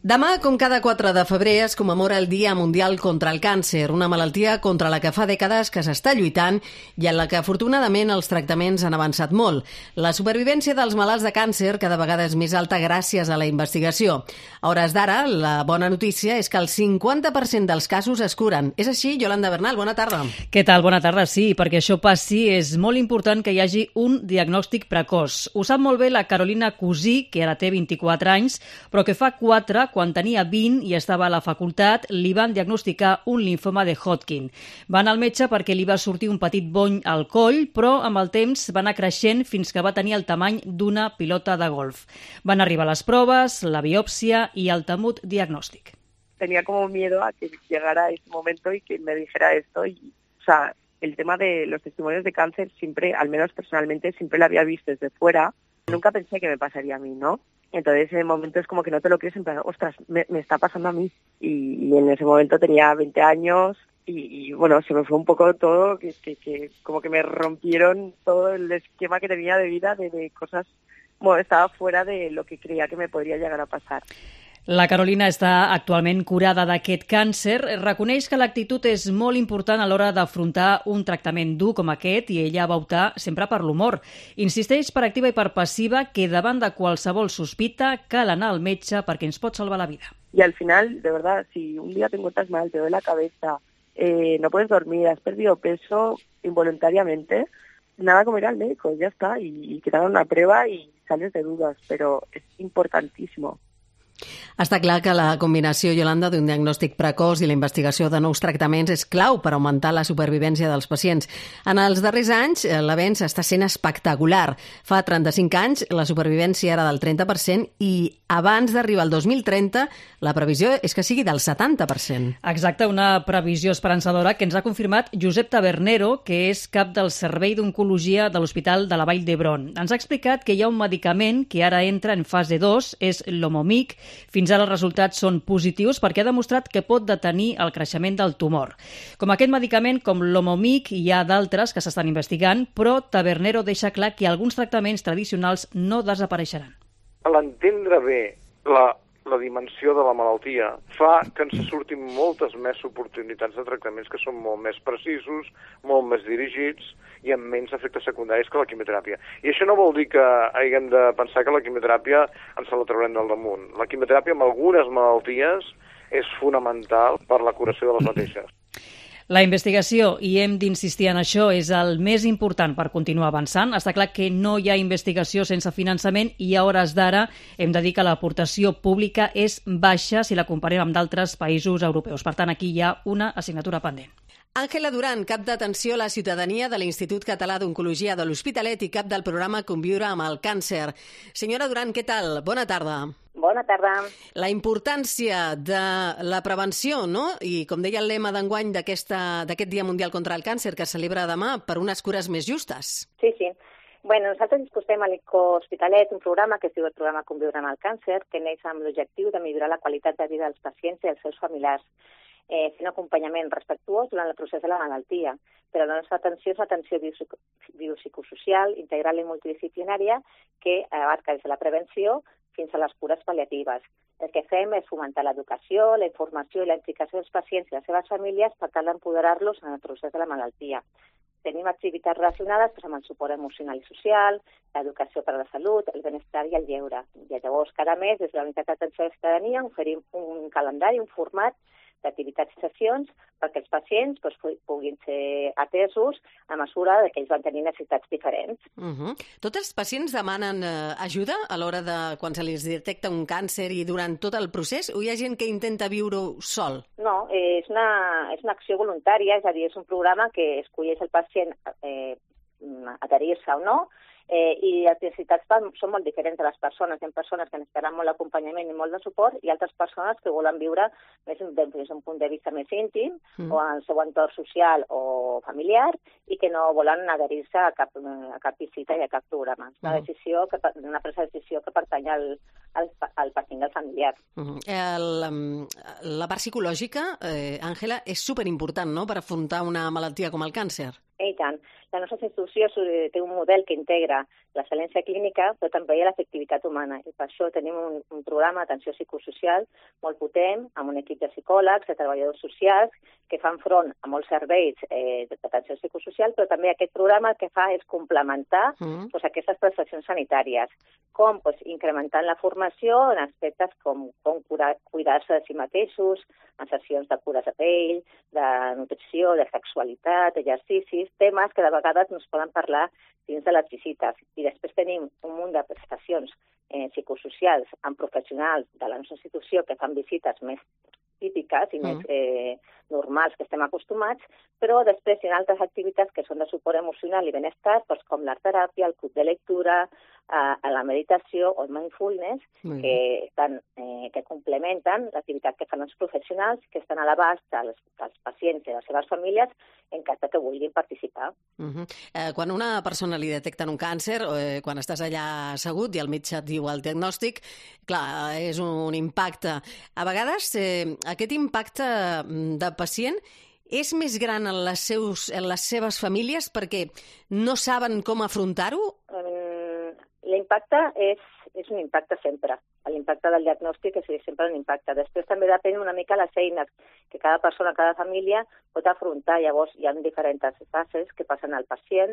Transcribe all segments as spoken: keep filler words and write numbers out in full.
Demà, com cada quatre de febrer, es commemora el Dia Mundial contra el Càncer, una malaltia contra la que fa dècades que s'està lluitant i en la que, afortunadament, els tractaments han avançat molt. La supervivència dels malalts de càncer cada vegada és més alta gràcies a la investigació. A hores d'ara, la bona notícia és que el cinquanta per cent dels casos es curen. És així, Yolanda Bernal, bona tarda. Què tal? Bona tarda, sí, perquè això passi és molt important que hi hagi un diagnòstic precoç. Ho sap molt bé la Carolina Cusí, que ara té vint-i-quatre anys, però que fa quatre, quan tenia vint i estava a la facultat, li van diagnosticar un linfoma de Hodgkin. Va anar al metge perquè li va sortir un petit bony al coll, però amb el temps va anar creixent fins que va tenir el tamany d'una pilota de golf. Van arribar les proves, la biòpsia i el temut diagnòstic. Tenía como miedo a que llegara ese momento y que me dijera esto. Y, o sea, el tema de los testimonios de cáncer siempre, al menos personalmente, siempre lo había visto desde fuera. Nunca pensé que me pasaría a mí, ¿no? Entonces, en ese momento es como que no te lo crees, en plan, ostras, me, me está pasando a mí. Y, y en ese momento tenía veinte años y, y bueno, se me fue un poco todo, que, que, que como que me rompieron todo el esquema que tenía de vida, de, de cosas, bueno, estaba fuera de lo que creía que me podría llegar a pasar. La Carolina està actualment curada d'aquest càncer. Reconeix que l'actitud és molt important a l'hora d'afrontar un tractament dur com aquest i ella va optar sempre per l'humor. Insisteix per activa i per passiva que davant de qualsevol sospita cal anar al metge perquè ens pot salvar la vida. Y al final, de verdad, si un día te encuentras mal, te duele la cabeza, eh, no puedes dormir, has perdido peso involuntariamente, nada como ir al médico, ya está, y, y que te hagan una prueba y sales de dudas, pero es importantísimo. Està clar que la combinació, Yolanda, d'un diagnòstic precoç i la investigació de nous tractaments és clau per augmentar la supervivència dels pacients. En els darrers anys, l'avenç està sent espectacular. Fa trenta-cinc anys, la supervivència era del trenta per cent i abans d'arribar al dos mil trenta, la previsió és que sigui del setanta per cent. Exacte, una previsió esperançadora que ens ha confirmat Josep Tabernero, que és cap del Servei d'Oncologia de l'Hospital de la Vall d'Hebron. Ens ha explicat que hi ha un medicament que ara entra en fase dos, és l'Omomic. Fins ara els resultats són positius perquè ha demostrat que pot detenir el creixement del tumor. Com aquest medicament, com l'Omomic, hi ha d'altres que s'estan investigant, però Tabernero deixa clar que alguns tractaments tradicionals no desapareixeran. L'entendre bé la, la dimensió de la malaltia fa que ens surtin moltes més oportunitats de tractaments que són molt més precisos, molt més dirigits i amb menys efectes secundaris que la quimioteràpia. I això no vol dir que haguem de pensar que la quimioteràpia ens la traurem del damunt. La quimioteràpia amb algunes malalties és fonamental per la curació de les mateixes. La investigació, i hem d'insistir en això, és el més important per continuar avançant. Està clar que no hi ha investigació sense finançament i a hores d'ara hem de dir que l'aportació pública és baixa si la comparem amb d'altres països europeus. Per tant, aquí hi ha una assignatura pendent. Àngela Duran, cap d'atenció a la ciutadania de l'Institut Català d'Oncologia de l'Hospitalet i cap del programa Conviure amb el càncer. Senyora Duran, què tal? Bona tarda. Bona tarda. La importància de la prevenció, no? I com deia el lema d'enguany d'aquest Dia Mundial contra el Càncer que es celebra demà, per unes cures més justes. Sí, sí. Bueno, nosaltres disposem a l'Hospitalet un programa que es diu el programa Conviure amb el càncer, que neix amb l'objectiu de millorar la qualitat de vida dels pacients i dels seus familiars, eh, fent acompanyament respectuós durant el procés de la malaltia. Però la nostra atenció és l'atenció biopsicosocial, integral i multidisciplinària que abarca des de la prevenció fins a les cures pal·liatives. El que fem és fomentar l'educació, la informació i la implicació dels pacients i les seves famílies per tal d'empoderar-los en el procés de la malaltia. Tenim activitats relacionades doncs, amb el suport emocional i social, l'educació per a la salut, el benestar i el lleure. I llavors, cada mes, des de la Unitat d'Atenció a la Ciutadania, oferim un calendari, un format d'activitats i sessions perquè els pacients doncs, puguin ser atesos a mesura que ells van tenir necessitats diferents. Uh-huh. Tots els pacients demanen eh, ajuda a l'hora de quan se li detecta un càncer i durant tot el procés, o hi ha gent que intenta viure-ho sol? No, eh, és, una, és una acció voluntària, és a dir, és un programa que escolleix el pacient eh, adherir-se o no, Eh, i les necessitats són molt diferents de les persones. Hi ha persones que necessitaran molt d'acompanyament i molt de suport i altres persones que volen viure més des d'un punt de vista més íntim mm. o en el seu entorn social o familiar i que no volen adherir-se a cap, a cap visita i a cap programa. És una, mm. decisió que, una presa de decisió que pertany al, al, al pacient del familiar. Mm. El, la part psicològica, eh, Àngela, és superimportant, no?, per afrontar una malaltia com el càncer. I tant. La nostra institució té un model que integra l'excel·lència clínica, però també l'efectivitat humana. I per això tenim un, un programa d'atenció psicosocial molt potent, amb un equip de psicòlegs, de treballadors socials, que fan front a molts serveis eh, d'atenció psicosocial, però també aquest programa el que fa és complementar mm. doncs, aquestes prestacions sanitàries, com doncs, incrementant la formació en aspectes com, com curar, cuidar-se de si mateixos, en sessions de cures de pell, de nutrició, de sexualitat, d'exercicis, temes que de vegades no es poden parlar dins de les visites. I després tenim un munt de prestacions eh, psicosocials amb professionals de la nostra institució que fan visites més típiques i mm. més eh, normals que estem acostumats, però després hi ha altres activitats que són de suport emocional i benestar, doncs com l'art-teràpia, el club de lectura, eh, la meditació o el mindfulness, mm. que, estan, eh, que complementen l'activitat que fan els professionals, que estan a l'abast dels, dels pacients i les seves famílies en cas que vulguin participar. Mm -hmm. eh, quan una persona li detecten un càncer, eh, quan estàs allà assegut i el metge et diu el diagnòstic, clar, és un impacte. A vegades eh, aquest impacte de pacient és més gran en les, seus, en les seves famílies perquè no saben com afrontar-ho? Um, l'impacte és, és un impacte sempre. L'impacte del diagnòstic és sempre un impacte. Després també depèn una mica les eines que cada persona, cada família pot afrontar. Llavors hi ha diferents fases que passen al pacient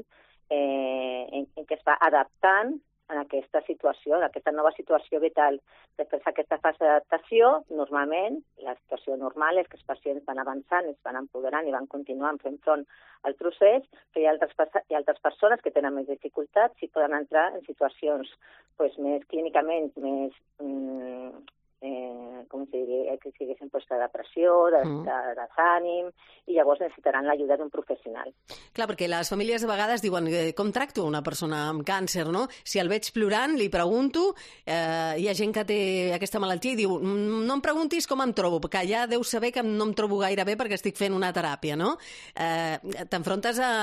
eh, en, en què es va adaptant en aquesta situació, en aquesta nova situació vital. Després d'aquesta fase d'adaptació, normalment, la situació normal és que els pacients van avançant, es van empoderant i van continuant fent front al procés, però hi ha altres, hi ha altres persones que tenen més dificultats i poden entrar en situacions pues, més clínicament, més... Mm, eh, com si, que siguessin pues, de depressió, de, mm. de, de desànim, i llavors necessitaran l'ajuda d'un professional. Clar, perquè les famílies de vegades diuen eh, com tracto una persona amb càncer, no? Si el veig plorant, li pregunto, eh, hi ha gent que té aquesta malaltia i diu no em preguntis com em trobo, perquè ja deus saber que no em trobo gaire bé perquè estic fent una teràpia, no? Eh, T'enfrontes a,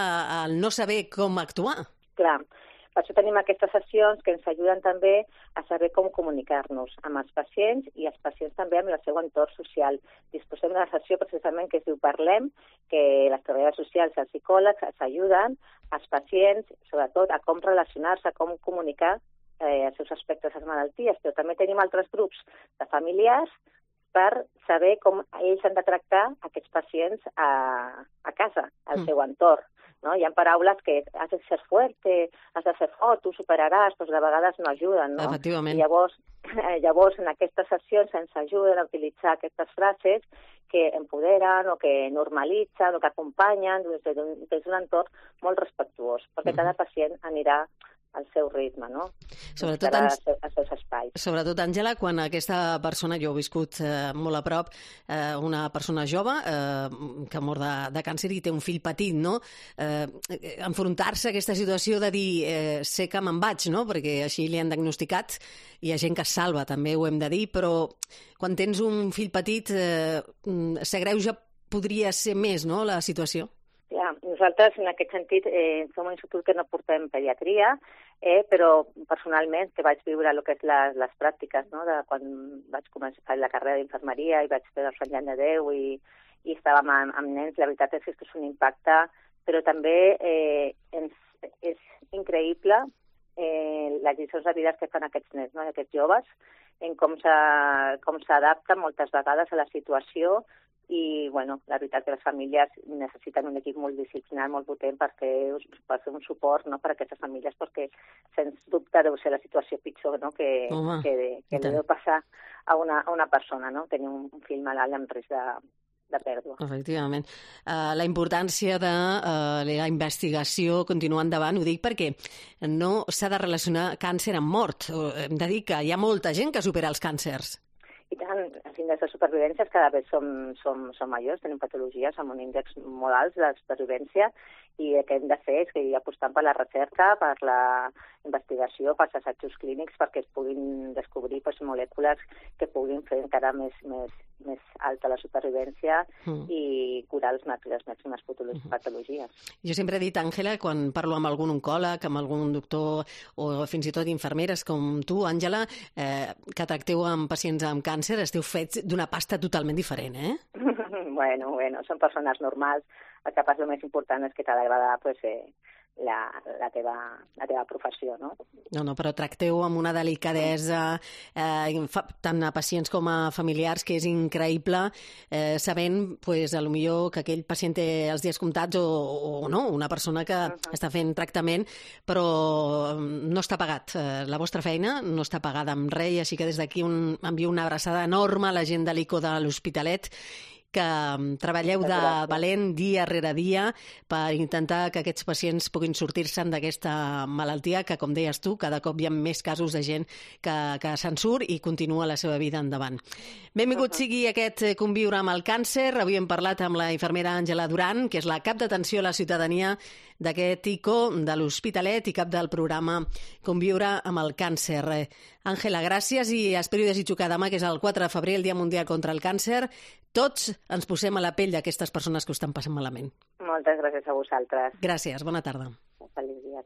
a no saber com actuar. Clar. Per això tenim aquestes sessions que ens ajuden també a saber com comunicar-nos amb els pacients i els pacients també amb el seu entorn social. Disposem d'una sessió precisament que es diu Parlem, que les treballadores socials i els psicòlegs ens ajuden als pacients, sobretot, a com relacionar-se, a com comunicar eh, els seus aspectes de les malalties. Però també tenim altres grups de familiars per saber com ells han de tractar aquests pacients a, a casa, al mm. seu entorn. No? Hi ha paraules que has de ser fuerte, has de ser fort, tu superaràs, doncs de vegades no ajuden, no? Efectivament. I llavors, eh, llavors, en aquestes sessions ens ajuden a utilitzar aquestes frases que empoderen o que normalitzen o que acompanyen des d'un, des d'un entorn molt respectuós, perquè mm. cada pacient anirà al seu ritme, no? Sobretot, als seus espais. Sobretot, Àngela, quan aquesta persona, jo he viscut eh, molt a prop, eh, una persona jove eh, que mor de, de càncer i té un fill petit, no? Eh, enfrontar-se a aquesta situació de dir eh, sé que me'n vaig, no? Perquè així li han diagnosticat, hi ha gent que es salva, també ho hem de dir, però quan tens un fill petit eh, s'agreuja, podria ser més, no?, la situació. Ja, nosaltres, en aquest sentit, eh, som un institut que no portem pediatria, eh, però personalment, que vaig viure el que és les, les pràctiques, no?, de quan vaig començar la carrera d'infermeria i vaig fer el Sant Jan de Déu i, i estàvem amb, amb nens, la veritat és que és un impacte, però també eh, ens, és increïble eh, les lliçons de vida que fan aquests nens, no?, aquests joves, en com s'adapten moltes vegades a la situació. I, bueno, la veritat que les famílies necessiten un equip multidisciplinar molt potent perquè per fer un suport, no?, per a aquestes famílies, perquè sens dubte deu ser la situació pitjor, no?, que, Home, que, que deu passar a una, a una persona, no?, tenir un, un fill malalt amb risc de, de pèrdua. Efectivament. Uh, la importància de uh, la investigació continuar endavant, ho dic perquè no s'ha de relacionar càncer amb mort. Hem de dir que hi ha molta gent que supera els càncers. I tant, els índexs de supervivència cada vegada som, som, som majors, tenim patologies amb un índex molt alt de supervivència i el que hem de fer és que hi apostant per la recerca, per la investigació, pels assajos clínics, perquè es puguin descobrir pues, molècules que puguin fer encara més, més, més alta la supervivència mm. i curar les màximes patologies. Jo sempre he dit, Àngela, quan parlo amb algun oncòleg, amb algun doctor o fins i tot infermeres com tu, Àngela, eh, que tracteu amb pacients amb càncer, esteu fets d'una pasta totalment diferent, eh? Bueno, bueno, són persones normals. El que passa, el més important és que cada vegada pues, eh, la, la, teva, la teva professió, no? No, no, però tracteu amb una delicadesa eh, tant a pacients com a familiars que és increïble, eh, sabent, pues, a lo millor que aquell pacient té els dies comptats o, o no, una persona que uh-huh. està fent tractament, però no està pagat. Eh, la vostra feina no està pagada amb res, i així que des d'aquí un, envio una abraçada enorme a la gent de l'I C O de l'Hospitalet, que treballeu de valent dia rere dia per intentar que aquests pacients puguin sortir-se'n d'aquesta malaltia que, com deies tu, cada cop hi ha més casos de gent que, que se'n surt i continua la seva vida endavant. Benvingut uh-huh. sigui aquest Conviure amb el càncer. Avui hem parlat amb la infermera Àngela Duran, que és la cap d'atenció a la ciutadania d'aquest I C O de l'Hospitalet i cap del programa Conviure amb el càncer. Àngela, gràcies, i espero i desitjo que demà, que és el quatre de febrer, el Dia Mundial contra el Càncer, tots ens posem a la pell d'aquestes persones que ho estan passant malament. Moltes gràcies a vosaltres. Gràcies, bona tarda. Feliç dia.